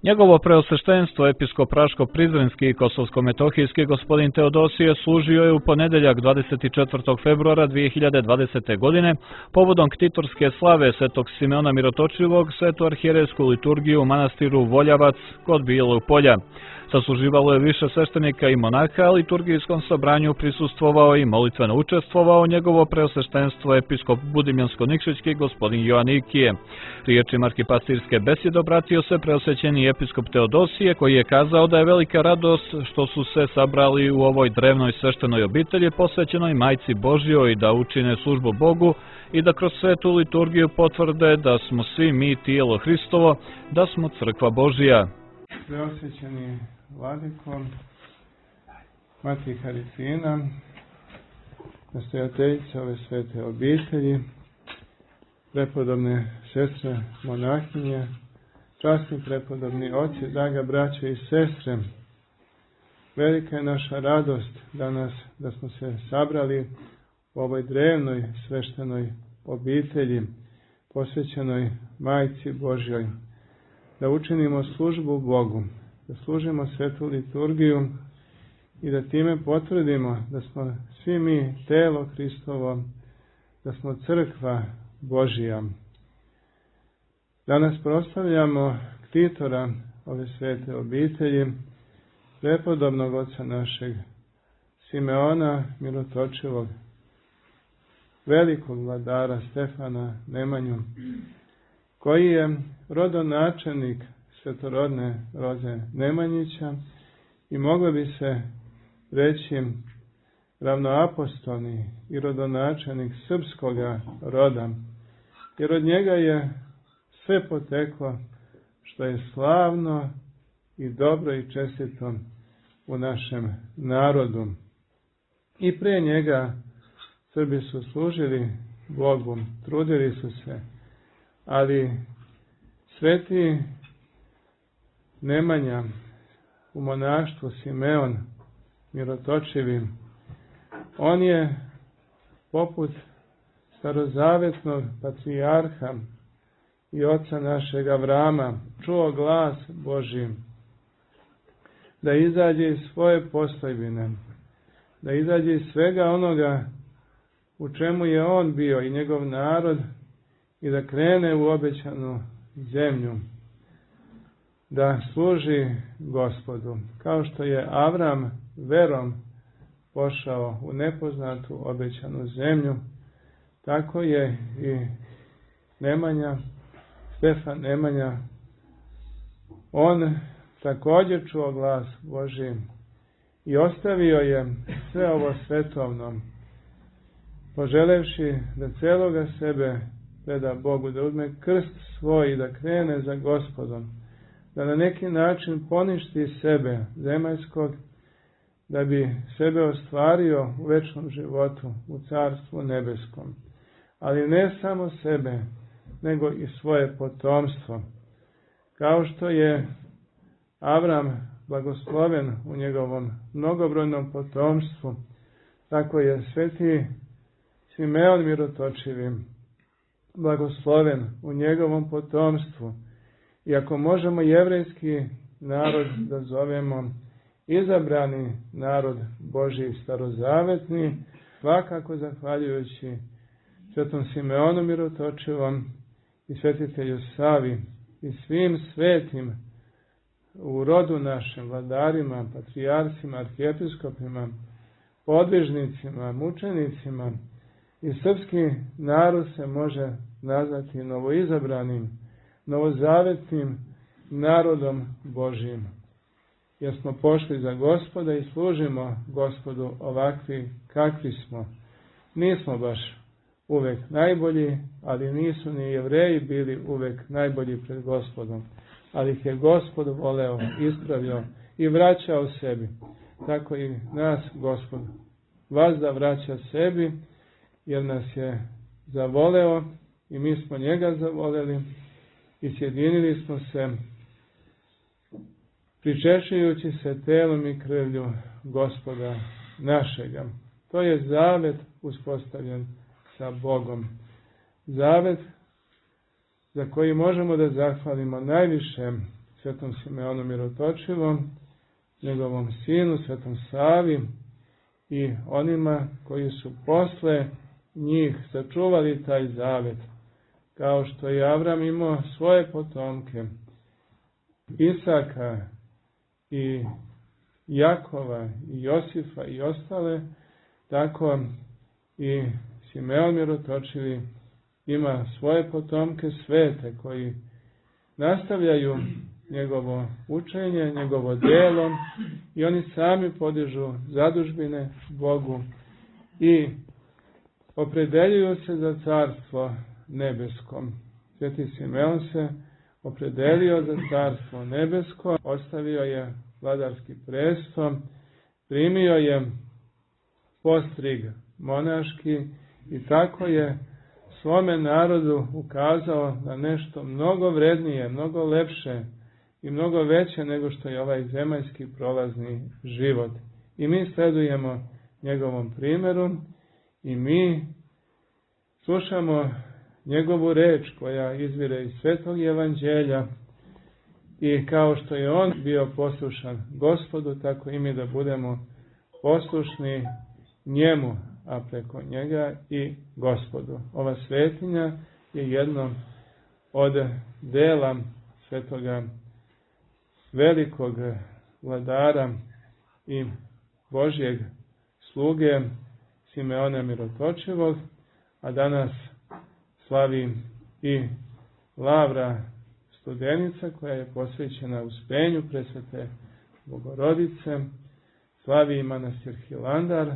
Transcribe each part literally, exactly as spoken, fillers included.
Njegovo preosveštenstvo episkop Praško-Prizrenski i Kosovsko-Metohijski gospodin Teodosije služio je u ponedeljak dvadeset četvrtog februara dvije hiljade dvadesete. godine povodom ktitorske slave Svetog Simeona Mirotočivog svetu arhijerejsku liturgiju u manastiru Voljavac kod Bijelog polja. Sasluživalo je više sveštenika i monaha, a liturgijskom sabranju prisustvovao i molitveno učestvovao njegovo preosveštenstvo episkop Budimljansko-Nikšićki gospodin Joanikije. Riječima arhipastirske besjede obratio se preosvećeni episkop Teodosije, koji je kazao da je velika radost što su se sabrali u ovoj drevnoj sveštenoj obitelji posvećenoj Majci Božjoj da učine službu Bogu i da kroz svetu liturgiju potvrde da smo svi mi tijelo Hristovo, da smo crkva Božja. Preosvećeni Vladiko, Mati Harifina, nastojateljica ove svete obitelji, prepodobne sestre monahinje, časni prepodobni oci, draga braća i sestre, velika je naša radost danas da smo se sabrali u ovoj drevnoj sveštenoj obitelji posvećenoj Majci Božjoj, da učinimo službu Bogu, da služimo svetu liturgiju i da time potvrdimo da smo svi mi telo Hristovo, da smo crkva Božja. Danas proslavljamo ktitora ove svete obitelji, prepodobnog oca našeg Simeona Mirotočivog, velikog vladara Stefana Nemanju, koji je rodonačelnik svetorodne roze Nemanjića i moglo bi se reći ravnoapostolni i rodonačelnik srpskoga roda, jer od njega je sve poteklo što je slavno i dobro i čestito u našem narodu. I pre njega Srbi su služili Bogu, trudili su se, ali sveti Nemanja u monaštvu Simeon Mirotočivi, on je poput starozavetnog patrijarha i oca našeg Avrama čuo glas Božji da izađe iz svoje postojbine, da izađe iz svega onoga u čemu je on bio i njegov narod i da krene u obećanu zemlju, da služi Gospodu. Kao što je Avram verom pošao u nepoznatu obećanu zemlju, tako je i Nemanja, Stefan Nemanja, on također čuo glas Božji i ostavio je sve ovo svetovno, poželevši da celoga sebe preda Bogu, da uzme krst svoj i da krene za Gospodom, da na neki način poništi sebe zemaljskog, da bi sebe ostvario u večnom životu, u carstvu nebeskom. Ali ne samo sebe, nego i svoje potomstvo. Kao što je Avram blagosloven u njegovom mnogobrojnom potomstvu, tako je sveti Simeon Mirotočivi blagosloven u njegovom potomstvu. I ako možemo jevrejski narod da zovemo izabrani narod Božji starozavetni, svakako zahvaljujući svetom Simeonu Mirotočivom i svetitelju Savi i svim svetim u rodu našem, vladarima, patrijarcima, arhijepiskopima, podvižnicima, mučenicima, i srpski narod se može nazvati novoizabranim, novozavetnim narodom Božjim. Jer smo pošli za Gospoda i služimo Gospodu ovakvi kakvi smo. Nismo baš uvek najbolji, ali nisu ni Jevreji bili uvek najbolji pred Gospodom. Ali ih je Gospod voleo, ispravio i vraćao sebi. Tako i nas Gospod vazda vraća sebi, jer nas je zavoleo i mi smo njega zavoleli i sjedinili smo se pričešujući se telom i krvlju Gospoda našega. To je zavet uspostavljen sa Bogom. Zavet za koji možemo da zahvalimo najviše svetom Simeonu Mirotočivom, njegovom sinu, svetom Savi i onima koji su posle njih sačuvali taj zavet, kao što je Avram imao svoje potomke, Isaka i Jakova i Josifa i ostale, tako i Simeon Mirotočivi ima svoje potomke svete koji nastavljaju njegovo učenje, njegovo delo i oni sami podižu zadužbine Bogu i opredeljuju se za carstvo nebeskom. Sveti Simeon se opredelio za carstvo nebesko, ostavio je vladarski presto, primio je postrig monaški i tako je svome narodu ukazao na nešto mnogo vrednije, mnogo lepše i mnogo veće nego što je ovaj zemaljski prolazni život. I mi sledujemo njegovom primjeru i mi slušamo njegovu reč koja izvire iz Svetog Evanđelja i kao što je on bio poslušan Gospodu, tako i mi da budemo poslušni njemu, a preko njega i Gospodu. Ova svetinja je jedno od dela svetoga velikog vladara i Božjeg sluge Simeona Mirotočivog, a danas slavi i Lavra Studenica koja je posvećena Uspenju Presvete Bogorodice, slavi i manastir Hilandar,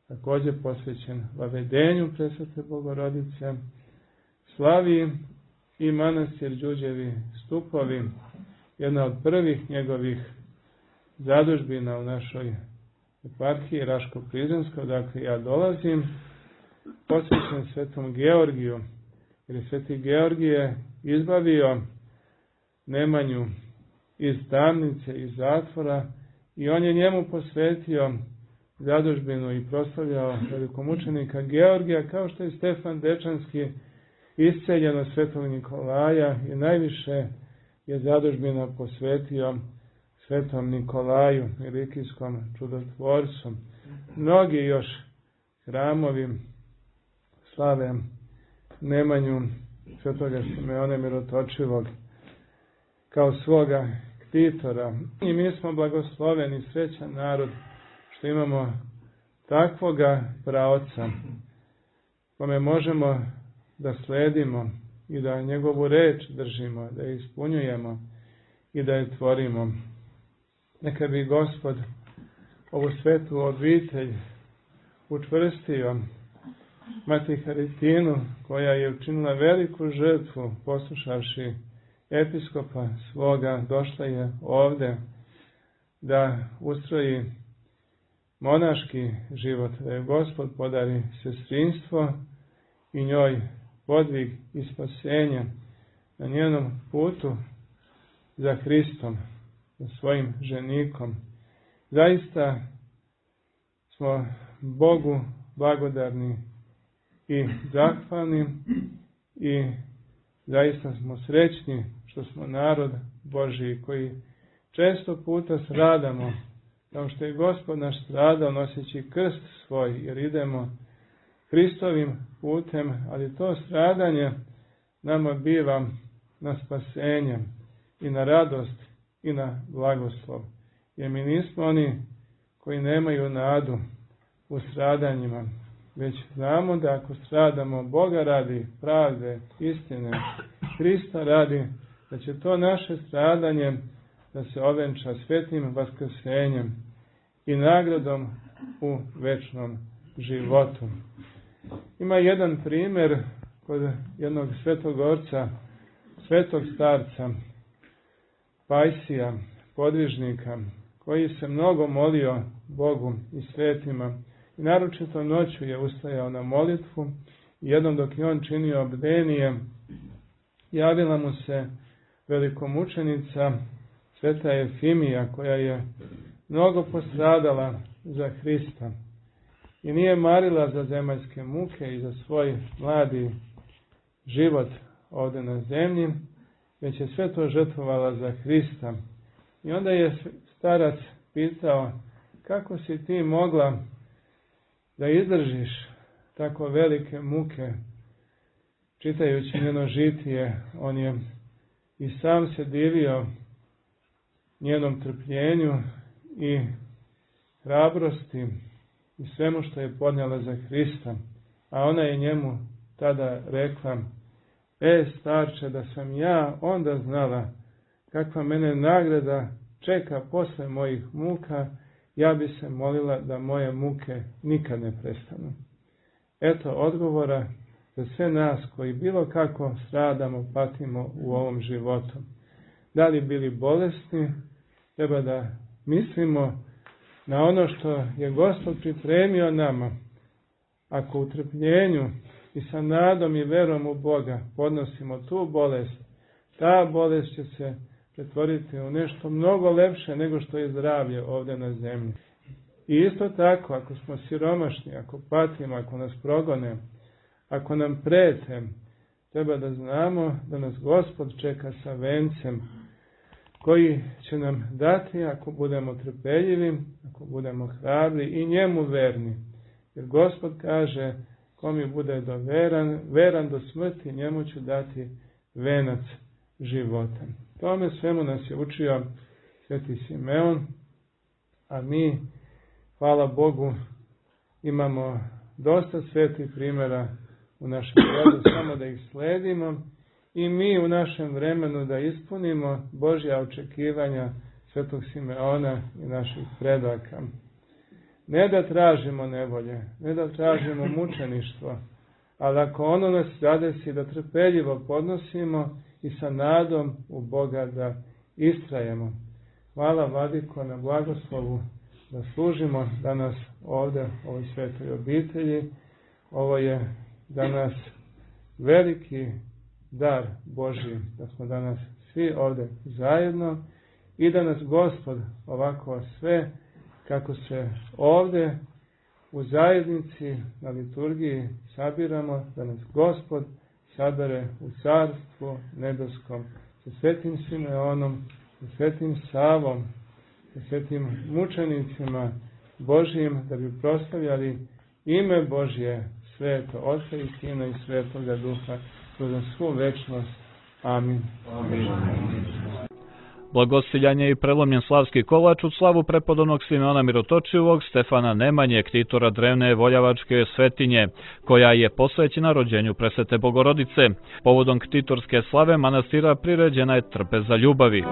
također posvećen Vavedenju Presvete Bogorodice, slavi i manastir Đurđevi Stupovi, jedna od prvih njegovih zadužbina u našoj eparhiji Raško-Prizrenskoj, odakle ja dolazim, posvećen Svetom Georgiju, jer je Sveti Georgije izbavio Nemanju iz tamnice, iz zatvora i on je njemu posvetio zadužbinu i proslavljao velikomučenika Georgija, kao što je Stefan Dečanski isceljen od Svetog Nikolaja i najviše je zadužbina posvetio Svetom Nikolaju, Milikijskom čudotvorcu. Mnogi još hramovi slave Nemanju Svetoga Simeona Mirotočivog kao svoga ktitora. I mi smo blagosloveni, srećan narod, što imamo takvoga praoca, kome možemo da sledimo i da njegovu reč držimo, da je ispunjujemo i da je tvorimo. Neka bi Gospod ovu svetu obitelj učvrstio, Mati Haritinu, koja je učinila veliku žrtvu, poslušavši episkopa svoga, došla je ovde da ustroji monaški život, da je Gospod podari sestrinstvo i njoj podvig i spasenje na njenom putu za Hristom, za svojim ženikom. Zaista smo Bogu blagodarni i zahvalni i zaista smo srećni što smo narod Božji koji često puta stradamo, kao što je Gospod naš stradao noseći krst svoj, jer idemo Hristovim putem, ali to stradanje nama biva na spasenje i na radost i na blagoslov. Jer mi nismo oni koji nemaju nadu u stradanjima, već znamo da ako stradamo Boga radi, pravde, istine, Hrista radi, da će to naše stradanje da se ovenča svetnim vaskrsenjem i nagradom u večnom životu. Ima jedan primjer kod jednog svetog orca, svetog starca, Pajsija, podvižnika, koji se mnogo molio Bogu i svetima i naročito noću je ustajao na molitvu i jednom dok je on činio bdenije, javila mu se velikomučenica sveta Efimija, koja je mnogo postradala za Hrista i nije marila za zemaljske muke i za svoj mladi život ovdje na zemlji, već je sve to žrtvovala za Hrista. I onda je starac pitao, kako si ti mogla da izdržiš tako velike muke? Čitajući njeno žitije, on je i sam se divio njenom trpljenju i hrabrosti i svemu što je podnijela za Hrista. A ona je njemu tada rekla, e starče, da sam ja onda znala kakva mene nagrada čeka posle mojih muka, ja bi se molila da moje muke nikad ne prestanu. Eto odgovora za sve nas koji bilo kako stradamo, patimo u ovom životu. Da li bili bolesni, treba da mislimo na ono što je Gospod pripremio nama. Ako u trpljenju i sa nadom i verom u Boga podnosimo tu bolest, ta bolest će se pretvoriti u nešto mnogo lepše nego što je zdravlje ovdje na zemlji. I isto tako, ako smo siromašni, ako patimo, ako nas progone, ako nam prete, treba da znamo da nas Gospod čeka sa vencem koji će nam dati ako budemo trpeljivi, ako budemo hrabri i njemu verni. Jer Gospod kaže, ko mi bude do veran, veran do smrti, njemu ću dati venac života. Tome svemu nas je učio Sveti Simeon, a mi, hvala Bogu, imamo dosta svetih primjera u našem rodu, samo da ih sledimo i mi u našem vremenu da ispunimo Božja očekivanja Svetog Simeona i naših predaka. Ne da tražimo nevolje, ne da tražimo mučeništvo, ali ako ono nas zadesi da trpeljivo podnosimo i sa nadom u Boga da istrajemo. Hvala Vladiko na blagoslovu da služimo danas ovdje u ovoj svetoj obitelji. Ovo je danas veliki dar Božji, da smo danas svi ovdje zajedno i da nas Gospod ovako sve kako se ovdje u zajednici na liturgiji sabiramo, da nas Gospod sabere u carstvu nebeskom sa Svetim Simeonom, sa Svetim Savom, sa Svetim mučenicima Božjim, da bi proslavljali ime Božje, Sveto Oca i Sina i Svetoga Duha, kroz svu večnost. Amin. Amin. Blagosiljanje i prelomljen slavski kolač u slavu prepodobnog Simeona Mirotočivog, Stefana Nemanje, ktitora drevne Voljavačke svetinje, koja je posvećena rođenju Presvete Bogorodice. Povodom ktitorske slave manastira priređena je trpeza ljubavi.